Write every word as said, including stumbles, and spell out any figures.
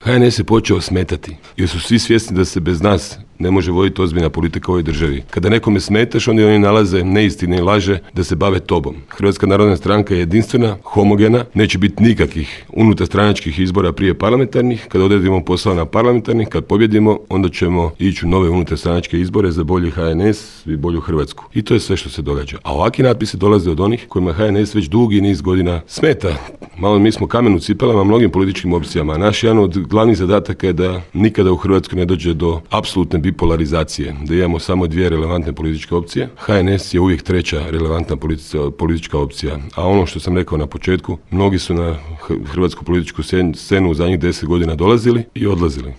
H N S je počeo smetati, jer su svi svjesni da se bez nas ne može voditi ozbiljna politika u ovoj državi. Kada nekome smetaš, onda oni nalaze neistine i laže da se bave tobom. Hrvatska narodna stranka je jedinstvena, homogena, neće biti nikakvih unutarstranačkih izbora prije parlamentarnih. Kada odredimo posao na parlamentarnih, kad pobjedimo, onda ćemo ići u nove unutarstranačke izbore za bolji H N S i bolju Hrvatsku. I to je sve što se događa. A ovakvi natpisi dolaze od onih kojima H N S već dugi niz godina smeta. Malo mi smo kamen u cipelama mnogim političkim opcijama. Naš jedan od glavnih zadataka je da nikada u Hrvatskoj ne dođe do apsolutne bipolarizacije, da imamo samo dvije relevantne političke opcije. H N S je uvijek treća relevantna politička opcija. A ono što sam rekao na početku, mnogi su na hrvatsku političku scenu u zadnjih deset godina dolazili i odlazili.